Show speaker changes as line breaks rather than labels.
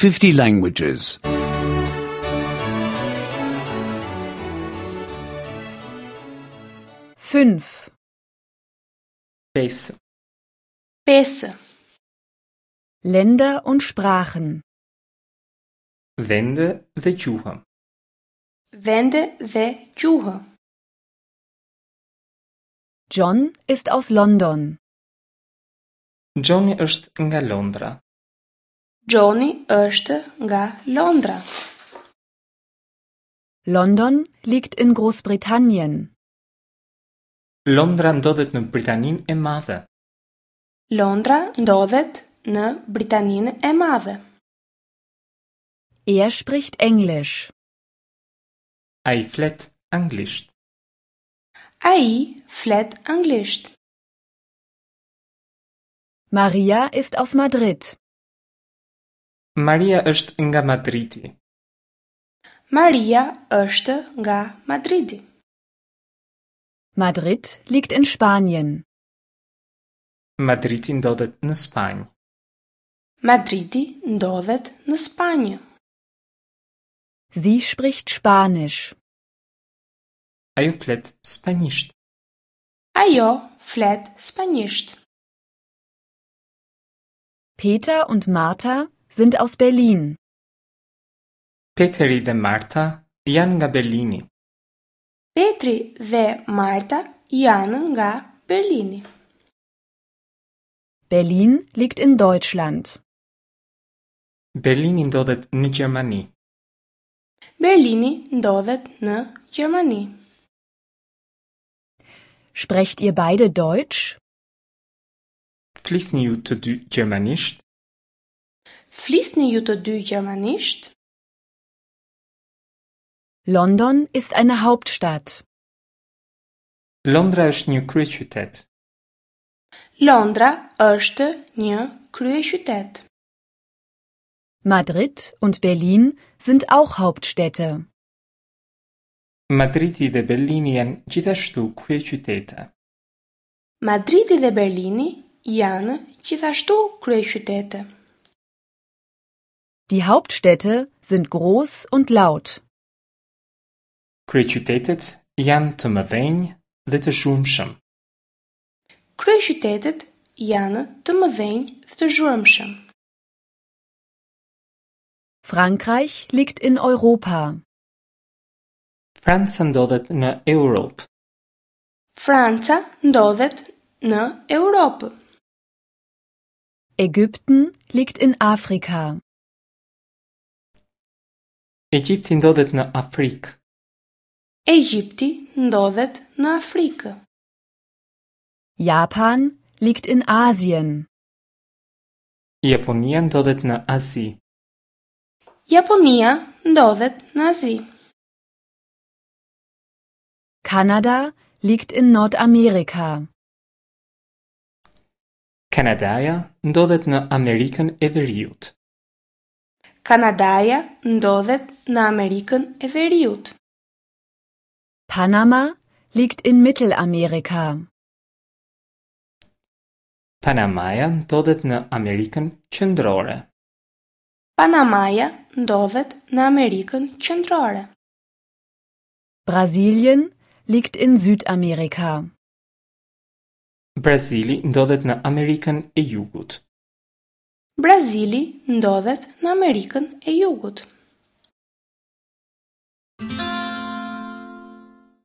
50 languages.
5.
5.
5.
Länder und Sprachen.
Vende dhe gjuhë.
Vende dhe gjuhë.
John ist aus London.
Johni është nga Londra.
Johni është nga Londra.
London liegt in Großbritannien.
Londra ndodhet në Britaninë e Madhe.
Londra ndodhet në Britaninë e Madhe.
Er spricht Englisch.
Ai flet anglisht.
Ai flet anglisht.
Maria ist aus Madrid.
Maria është nga Madridi.
Maria është nga Madridi.
Madrid liegt in Spanien.
Madridi ndodhet në Spanjë.
Madridi ndodhet në Spanjë.
Sie spricht Spanisch.
Ajo flet spanjisht.
Ajo flet spanjisht.
Peter und Martha sind aus Berlin.
Peteri dhe Marta janë nga Berlini.
Petri dhe Marta janë nga Berlini.
Berlin liegt in Deutschland.
Berlini ndodhet në Gjermani.
Berlini ndodhet në Gjermani.
Sprecht ihr beide Deutsch?
Flisni ju të dy gjermanisht?
Flisni ju të dy gjermanisht?
London ist eine Hauptstadt.
Londra është një kryeqytet.
Londra është një kryeqytet.
Madrid und Berlin sind auch Hauptstädte.
Madridi dhe Berlini janë gjithashtu kryeqytete.
Madridi dhe Berlini janë gjithashtu kryeqytete.
Die Hauptstädte sind groß und laut.
Kryeqytetet janë të mëdhenj dhe të zhurmshëm.
Kryeqytetet janë të mëdhenj dhe të zhurmshëm.
Frankreich liegt in Europa.
Franca ndodhet në Europë.
Franca ndodhet në Europë.
Ägypten liegt in Afrika.
Egjipti ndodhet në Afrikë.
Egjipti ndodhet në Afrikë.
Japan liegt in Asien.
Japonia ndodhet në Azi.
Japonia ndodhet në Azi.
Kanada liegt in Nordamerika.
Kanadaja ndodhet në Amerikën e Veriut.
Kanadaja ndodhet në Amerikën e Veriut.
Panama liegt in Mittelamerika.
Panamaja ndodhet në Amerikën Qendrore.
Panamaja ndodhet në Amerikën Qendrore.
Brasilien liegt in Südamerika.
Brazili ndodhet në Amerikën e Jugut.
Brazili ndodhet në Amerikën e Jugut.